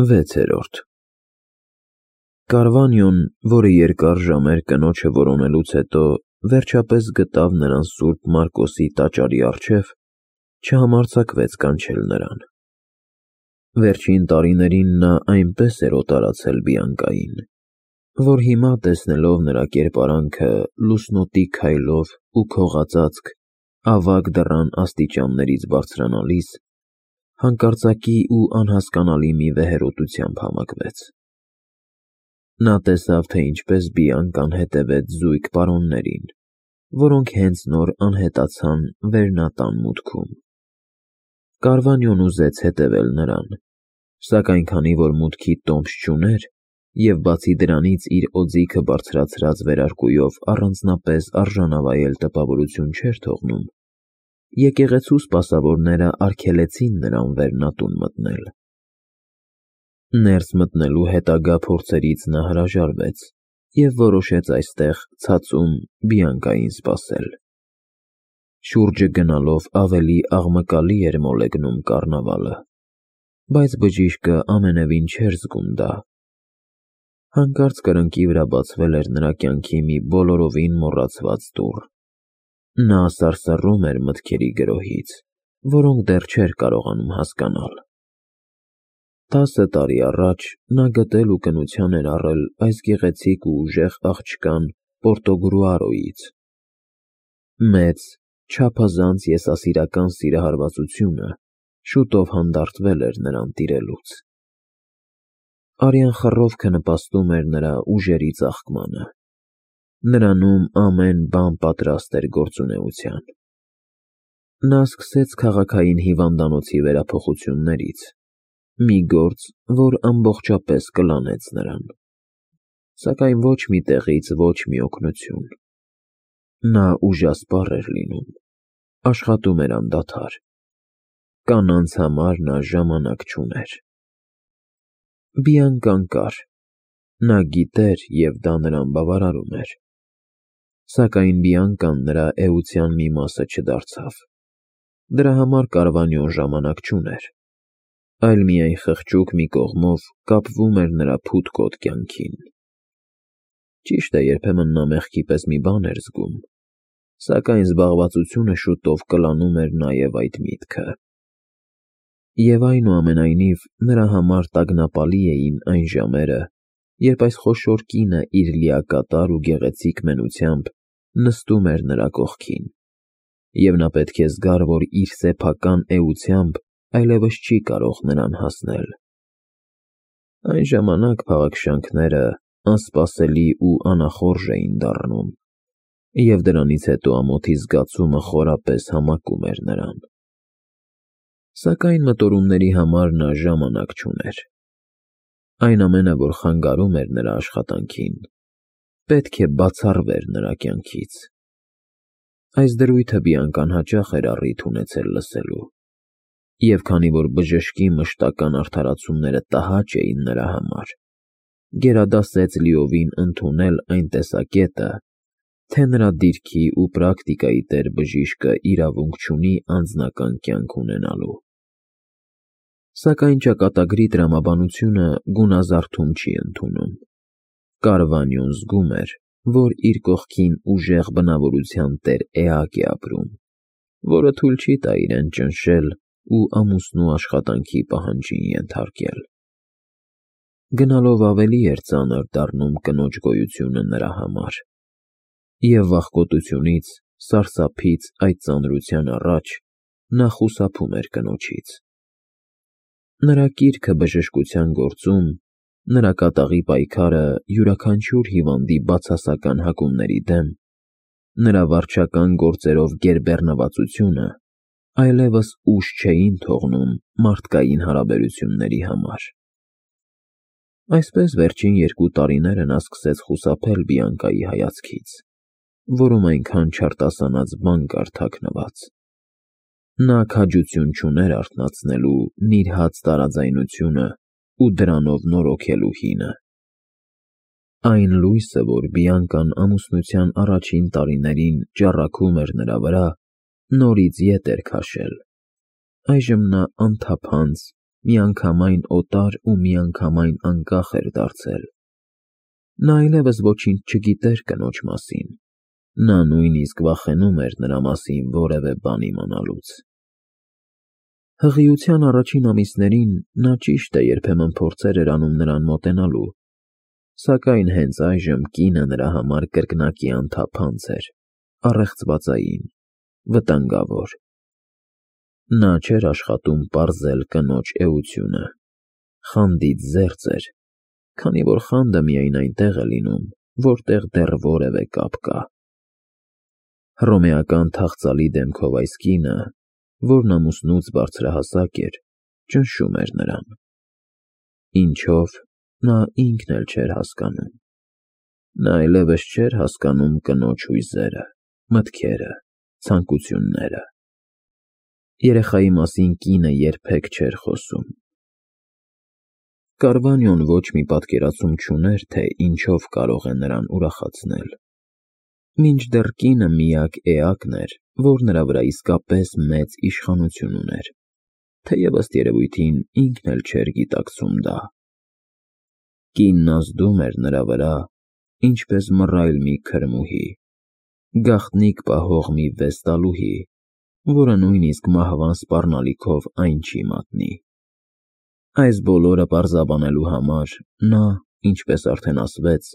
6-րդ Կարվանյոն, որը երկար ժամեր կնոջը որոնելուց հետո վերջապես գտավ նրան Սուրբ Մարկոսի տաճարի առջև, չհամարձակվեց կանչել նրան։ Վերջին տարիներին նա այնպես էր օտարացել Բիանկային, որ հիմա, տեսնելով նրա կերպարանքը լուսնոտի քայլով ու քողածածկ ավագ դռան աստիճաններից բարձրանալիս, հանկարծակի ու անհասկանալի մի վեհերոտությամբ համակվեց։ Նա տեսավ, թե ինչպես Բիանկան հետևեց զույգ պարոններին, որոնք հենց նոր անհետացան վերնատան մուտքում։ Կարվանյոն ուզեց հետևել նրան, սակայն քանի որ մուտքի տոմս չուներ և բացի դրանից իր օձիքը բարձրացրած վերարկուով առանձնապես արժանավայել տպավորություն չէր թողնում, եկեղեցու սպասավորները արգելեցին նրան վերնատուն մտնել։ Ներս մտնելու հետագա փորձերից նա հրաժարվեց և որոշեց այստեղ ցածում Բիանկային սպասել։ Շուրջը գնալով ավելի աղմկալի էր մոլեգնում կառնավալը, բայց բժիշկը ամենևին չէր զգում դա։ Հանկարծ կրկնակի վրա բացվել էր նրա կյանքի մի բոլորովին մոռացված դուռ։ Նա սարսռում էր մտքերի գրոհից, որոնք դեռ չէր կարողանում հասկանալ։ 10 տարի առաջ նա գտել ու կնության էր առել այս գեղեցիկ ու ուժեղ աղջկան Պորտոգրուարոյից։ Մեծ, չափազանց եսասիրական սիրահարվածությունը շուտով հանդարտվել էր նրան տիրելուց։ Արյան խռովքը նպաստում էր նրա ուժերի ծաղկմանը։ Նրանում ամեն բան պատրաստ էր գործունեության։ Նա սկսեց քաղաքային հիվանդանոցի վերափոխություններից, մի գործ, որ ամբողջապես կլանեց նրան։ Սակայն ոչ մի տեղից ոչ մի օգնություն։ Նա ուժասպառ էր լինում, աշխատում էր անդադար։ Կանանց համար նա ժամանակ չուներ։ Բիանկան կար, նա գիտեր և դա նրան բավարարում էր։ Սակայն Բիանկան նրա էության մի մասը չդարձավ։ Դրա համար Կարվանյոն ժամանակ չուներ, այլ միայն խղճուկ մի կողմով կապվում էր նրա փութկոտ կյանքին։ Ճիշտ է, երբեմն նա մեղքի պես մի բան էր զգում, սակայն զբաղվածությունը շուտով կլանում էր նաև այդ միտքը։ Եվ այնուամենայնիվ նրա համար տագնապալի էին այն ժամերը, երբ այս խոշոր կինը իր լիակատար ու գեղեցիկ մենությամբ նստում էր նրա կողքին, և նա պետք է զգար, որ իր սեփական էությամբ այլևս չի կարող նրան հասնել։ Այն ժամանակ փաղաքշանքները անսպասելի ու անախորժ էին դառնում, և դրանից հետո ամոթի զգացումը խորապես համակում էր նրան։ Սակայն մտորումների համար նա ժամանակ չուներ։ Այն ամենը, որ խանգարում էր նրա աշխատանքին, պետք է բացառվեր նրա կյանքից։ Այս դրույթը Բիանկան հաճախ էր առիթ ունեցել լսելու, և քանի որ բժշկի մշտական արդարացումները տհաճ էին նրա համար, գերադասեց լիովին ընդունել այն տեսակետը, թե նրա դիրքի ու պրակտիկայի տեր բժիշկը իրավունք չունի անձնական կյանք ունենալու։ Սակայն ճակատագրի տրամաբանությունը գունազարդում չի ընդունում։ Կարվանյոն զգում էր, որ իր կողքին ուժեղ բնավորության տեր էակ է ապրում, որը թույլ չի տա իրեն ճնշել ու ամուսնու աշխատանքի պահանջին ենթարկել։ Գնալով ավելի էր ծանր դառնում կնոջ գոյությունը նրա համար, և վախկոտությունից, սարսափից այդ ծանրության առաջ նա խուսափում էր կնոջից։ Նրա կիրքը բժշկության գործում, նրա կատաղի պայքարը յուրաքանչյուր հիվանդի բացասական հակումների դեմ, նրա վարչական գործերով գերբեռնվածությունը այլևս ուժ չէին թողնում մարդկային հարաբերությունների համար։ Այսպես վերջին 2 տարիները նա սկսեց խուսափել Բիանկայի հայացքից, որում այնքան չարտասանած բան կար թաքնված։ Նա քաջություն չուներ արթնացնելու նիրհած տարաձայնությունը ու դրանով նորոգելու հինը։ Այն լույսը, որ Բիանկան ամուսնության առաջին տարիներին ճառագում էր նրա վրա, նորից ետ էր քաշել։ Այժմ նա անթափանց, միանգամայն օտար ու միանգամայն անկախ էր դարձել։ Նա այլևս ոչինչ չգիտեր կնոջ մասին, նա նույնիսկ վախենում էր նրա մասին որևէ բան իմանալուց։ Հղիության առաջին ամիսներին նա ճիշտ է երբեմն փորձեր էր անում նրան մոտենալու, սակայն հենց այժմ կինը նրա համար կրկնակի անթափանց էր, առեղծվածային, վտանգավոր։ Նա չէր աշխատում պարզել կնոջ էությունը, խանդից զերծ էր, քանի որ խանդը միայն այնտեղ է լինում, որտեղ դեռ որևէ կապ կա։ Հռոմեական թախծալի դեմքով այս կինը, որն ամուսնուց բարձրահասակ էր, ճնշում էր նրան։ Ինչով, նա ինքն էլ չէր հասկանում։ Նա այլևս չէր հասկանում կնոջ հույզերը, մտքերը, ցանկությունները։ Երեխայի մասին կինը երբեք չէր խոսում։ Կարվանյոն ոչ մի պատկերացում չուներ, թե ինչով կարող է նրան ուրախացնել։ Մինչդեռ կինը միակ էակն էր, որ նրա վրա իսկապես մեծ իշխանություն ուներ, թեև ըստ երևույթին ինքն էլ չէր գիտակցում դա։ Կինն ազդում էր նրա վրա, ինչպես մռայլ մի քրմուհի, գաղտնիք պահող մի վեստալուհի, որը նույնիսկ մահվան սպառնալիքով այն չի մատնի։ Այս բոլորը պարզաբանելու համար նա, ինչպես արդեն ասվեց,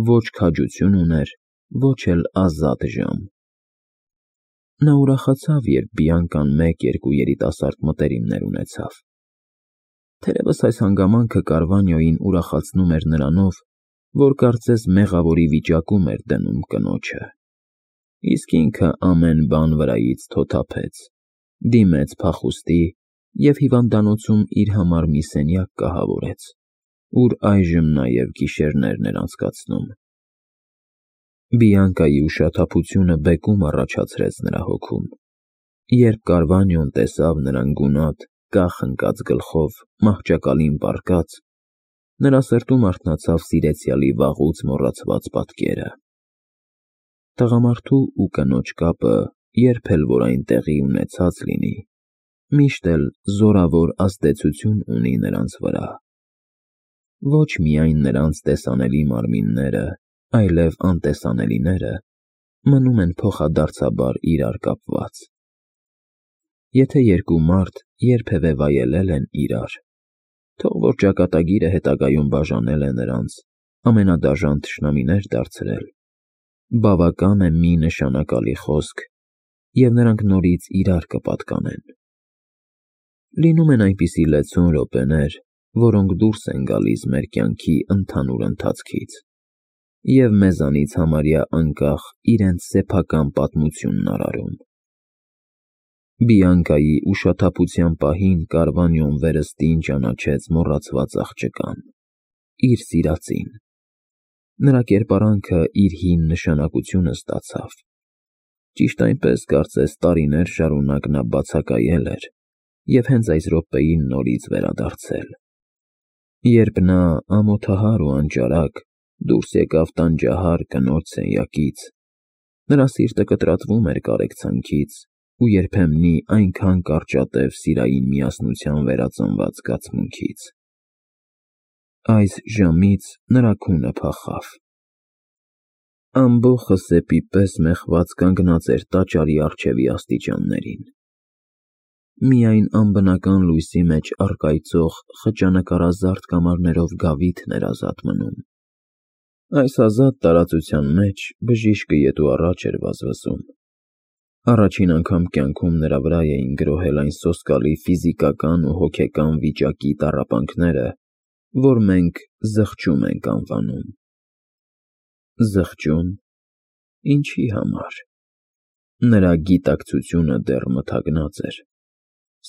ոչ քաջություն ուներ, ոչ էլ ազատ ժամ։ Նա ուրախացավ, երբ Բիանկան մեկ-երկու երիտասարդ մտերիմներ ունեցավ։ Թերևս այս հանգամանքը Կարվանյոյին ուրախացնում էր նրանով, որ կարծես մեղավորի վիճակում էր դնում կնոջը, իսկ ինքը ամեն բան վրայից թոթափեց, դիմեց փախուստի և հիվանդանոցում իր համար մի սենյակ կահավորեց, ուր այժմ նաև գիշերներն էր անցկացնում։ Բիանկայի ուշաթափությունը բեկում առաջացրեց նրա հոգում, երբ Կարվանյոն տեսավ նրան գունատ, կախ ընկած գլխով, մահճակալին պառկած, նրա սրտում արթնացավ սիրեցյալի վաղուց մոռացված պատկերը։ Տղամարդու ու կնոջ կապը, երբ էլ որ այն տեղի ունեցած լինի, միշտ էլ զորավոր ազդեցություն ունի նրանց վրա։ Ոչ միայն նրանց տեսանելի մարմինները, այլև անտեսանելիները մնում են փոխադարձաբար իրար կապված։ Եթե երկու մարդ երբևէ վայելել են իրար, թող որ ճակատագիրը հետագայում բաժանել է նրանց, ամենադաժան թշնամիներ դարձրել, բավական է մի նշանակալի խոսք, և նրանք նորից իրար կպատկանեն։ Լինում են այնպիսի լեցուն րոպեներ, որոնք դուրս են գալիս մեր կյանքի ընդհանուր ընթացքից և մեզանից համարյա անկախ իրենց սեփական պատմությունն արարում։ Բիանկայի ուշաթափության պահին Կարվանյոն վերստին ճանաչեց մոռացված աղջկան, իր սիրածին։ Նրա կերպարանքը իր հին նշանակությունը ստացավ։ Ճիշտ այնպես, կարծես տարիներ շարունակ նա բացակայել էր և հենց այս րոպեին նորից վերադարձել։ Երբ նա, ամոթահար ու անճարակ, դուրս եկավ տանջահար կնոջ սենյակից, նրա սիրտը կտրատվում էր կարեկցանքից ու երբեմնի այնքան կարճատև սիրային միասնության վերածնված զգացմունքից։ Այս ժամից նրա քունը փախավ։ Ամբոխը սեպի պես մեխված կանգնած էր տաճարի առջևի աստիճաններին։ Միայն անբնական լույսի մեջ առկայծող խճանկարազարդ կամարներով գավիթն էր ազատ մնում։ Այս ազատ տարածության մեջ բժիշկը ետ ու առաջ էր վազվզում։ Առաջին անգամ կյանքում նրա վրա էին գրոհել այն սոսկալի ֆիզիկական ու հոգեկան վիճակի տառապանքները, որ մենք զղջում ենք անվանում։ Զղջում։ Ինչի համար։ Նրա գիտակցությունը դեռ մթագնած էր,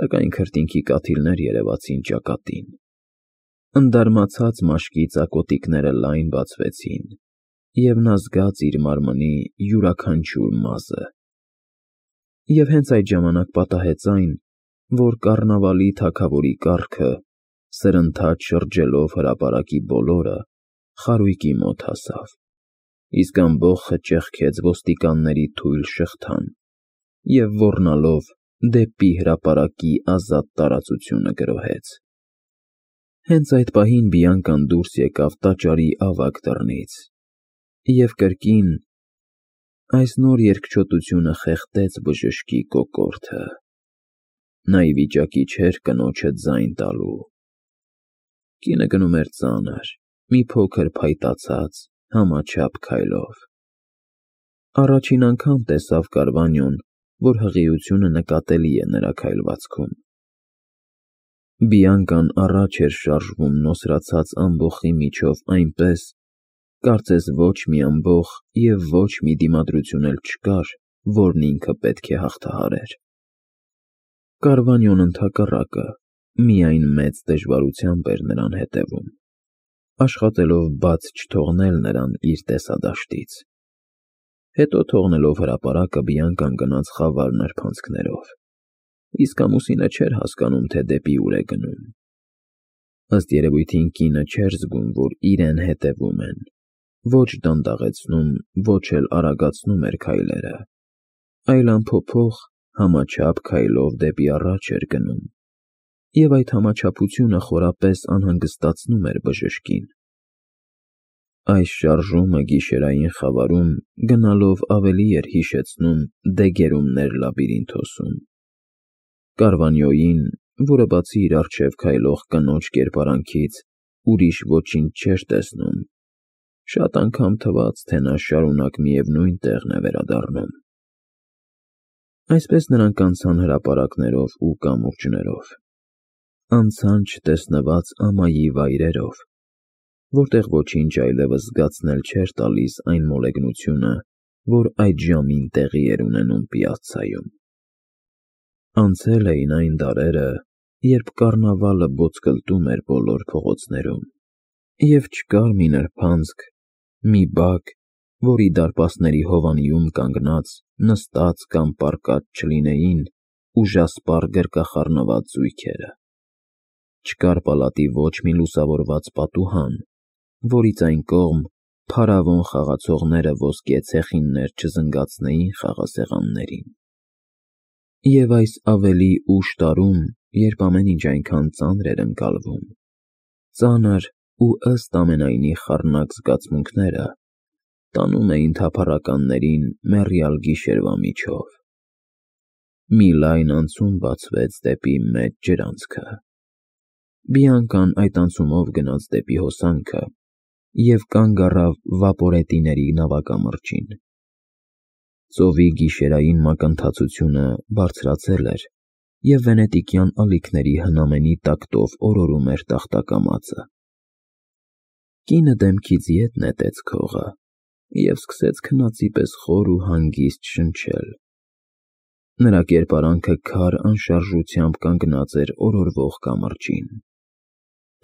սակայն քրտինքի կաթիլներ երևացին ճակատին։ Ընդարմացած մաշկի ծակոտիկները լայն բացվեցին, և նա զգաց իր մարմնի յուրաքանչյուր մազը։ Եվ հենց այդ ժամանակ պատահեց այն, որ կառնավալի թագավորի կառքը, սրընթաց շրջելով հրապարակի բոլորը, խարույկի մոտ հասավ, իսկ ամբոխը ճեղքեց ոստիկանների թույլ շղթան և ոռնալով դեպի հրապարակի ազատ տարածությունը գրոհեց։ Հենց այդ պահին Բիանկան դուրս եկավ տաճարի ավագ դռնից, և կրկին այս նոր երկչոտությունը խեղդեց բժշկի կոկորդը։ Նա ի վիճակի չէր կնոջը ձայն տալու։ Կինը գնում էր ծանր, մի փոքր փայտացած, համաչափ քայլով։ Առաջին անգամ տեսավ Կարվանյոն, որ հղիությունը նկատելի է նրա քայլվածքում։ Բիանկան առաջ էր շարժվում նոսրացած ամբոխի միջով այնպես, կարծես ոչ մի ամբոխ և ոչ մի դիմադրություն էլ չկար, որն ինքը պետք է հաղթահարեր։ Կարվանյոն ընդհակառակը, միայն մեծ դժվարությամբ էր նրան հետևում, աշխատելով բաց չթողնել նրան իր տեսադաշտից։ Հետո թողնելով հրապարակը Բիանկան գնաց խավար նրբանցքներով, իսկ ամուսինը չէր հասկանում, թե դեպի ուր է գնում։ Ըստ երևույթին կինը չէր զգում, որ իրեն հետևում են, ոչ դանդաղեցնում, ոչ էլ արագացնում էր քայլերը, այլ անփոփոխ, համաչափ քայլով դեպի առաջ էր գնում, և այդ համաչափությունը խորապես անհանգստացնում էր բժշկին։ Այս շարժումը գիշերային խավարում գնալով ավելի էր հիշեցնում դեգերումներ լաբիրինթոսում։ Կարվանյոյին, որը բացի իր առջև քայլող կնոջ կերպարանքից ուրիշ ոչինչ չէր տեսնում, շատ անգամ թվաց, թե նա շարունակ միևնույն տեղն է վերադառնում։ Այսպես նրանք անցան հրապարակներով ու կամուրջներով, անցան չտեսնված ամայի վայրերով, որտեղ ոչինչ այլևս զգացնել չէր տալիս այն մոլեգնությունը, որ այդ ժամին տեղի էր ունենում պիացցայում։ Անցել էին այն դարերը, երբ կառնավալը ոտքլտում էր բոլոր փողոցներում, և չկար մի նրբանցք, մի բակ, որի դարպասների հովանիում կանգնած, նստած կամ պառկած չլինեին ուժասպառ գրկախառնված զույգերը։ Չկար պալատի ոչ մի լուսավորված պատուհան, որից այն կողմ փարավոն խաղացողները ոսկե ցեխիններ չզնգացնեին խաղասեղաններին։ Եվ այս ավելի ուշ տարում, երբ ամեն ինչ այնքան ծանր էր ընկալվում, ծանր ու ըստ ամենայնի խառնակ զգացմունքները տանում էին թափառականներին մեռյալ գիշերվա միջով։ Մի լայն անցում բացվեց դեպի մեծ ջրանցքը։ Բիանկան այդ անցումով գնաց դեպի հոսանքը և կանգ առավ վապորետիների նավակամրջին։ Ծովի գիշերային մակընթացությունը բարձրացել էր, և վենետիկյան ալիքների հնամենի տակտով օրորում էր տախտակամածը։ Կինը դեմքից ետ նետեց քողը և սկսեց քնածի պես խոր ու հանգիստ շնչել։ Նրա կերպարանքը քար անշարժությամբ կանգնած էր օրորվող կամրջին։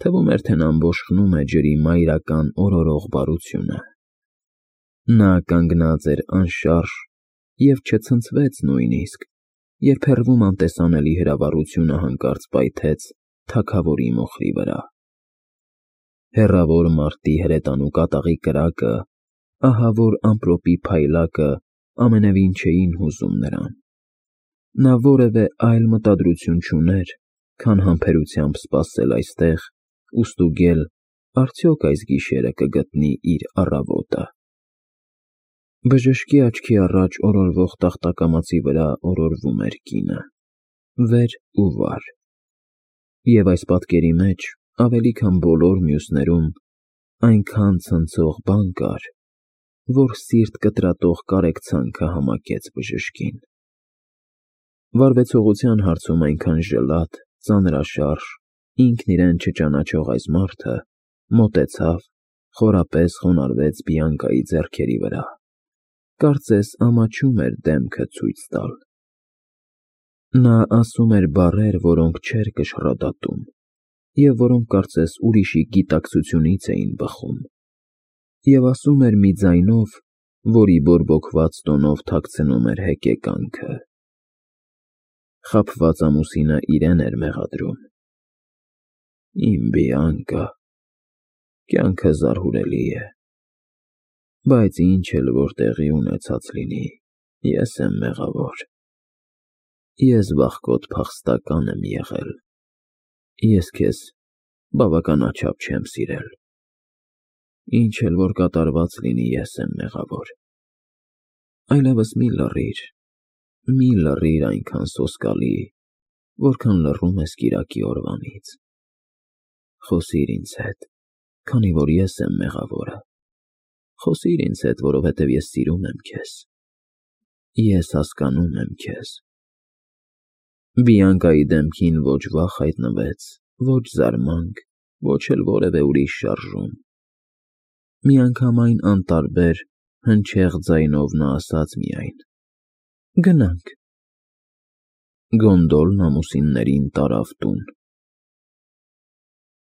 Թվում էր, թե նա բոշխնում է ջրի մայրական օրորող բարությունը։ Նա կանգնած էր անշարժ և չցնցվեց նույնիսկ, երբ հեռվում անտեսանելի հրավառությունը հանկարծ պայթեց թագավորի մոխրի վրա։ Հեռավոր մարտի հրետանու կատաղի կրակը, ահավոր ամպրոպի փայլակը ամենևին չէին հուզում նրան։ Նա որևէ այլ մտադրություն չուներ, քան համբերությամբ սպասել այստեղ ու ստուգել արդյոք այս գիշերը կգտնի իր առավոտը։ Բժշկի աչքի առաջ օրորվող տախտակամածի վրա օրորվում էր կինը, վեր ու վար, և այս պատկերի մեջ, ավելի քան բոլոր մյուսներում, այնքան ցնցող բան կար, որ սիրտ կտրատող կարեկցանքը համակեց բժշկին։ Վարվեցողության հարցում այնքան ժլատ, ծանրաշարժ, ինքն իրեն չճանաչող այս մարդը մոտեցավ, խորապես խոնարհվեց Բիանկայի ձեռքերի վրա, կարծես ամաչում էր դեմքը ցույց տալ։ Նա ասում էր բառեր, որոնք չէր կշռադատում, և որոնք կարծես ուրիշի գիտակցությունից էին բխում, և ասում էր մի ձայնով, որի բորբոքված տոնով թաքցնում էր հեկեկանքը։ Խաբված ամուսինը իրեն էր մեղադրում։ Իմ Բիանկա, կյանքը զարհուրելի է, բայց ինչ էլ որ տեղի ունեցած լինի, ես եմ մեղավոր։ Ես վախկոտ փախստական եմ եղել։ Ես քեզ բավականաչափ չեմ սիրել։ Ինչ էլ որ կատարված լինի, ես եմ մեղավոր։ Այլևս մի լռիր այնքան սոսկալի, որքան լռում ես կիրակի օրվանից։ Խոսիր ինձ հետ, քանի որ ես եմ մեղավորը։ Խոսիր ինձ հետ, որովհետև ես սիրում եմ քեզ։ Ես հասկանում եմ քեզ։ Բիանկայի դեմքին ոչ վախ հայտնվեց, ոչ զարմանք, ոչ էլ որևէ ուրիշ շարժում։ Միանգամայն անտարբեր, հնչեղ ձայնով նա ասաց միայն. «Գնանք»։ Գոնդոլն ամուսիններին տարավ տուն։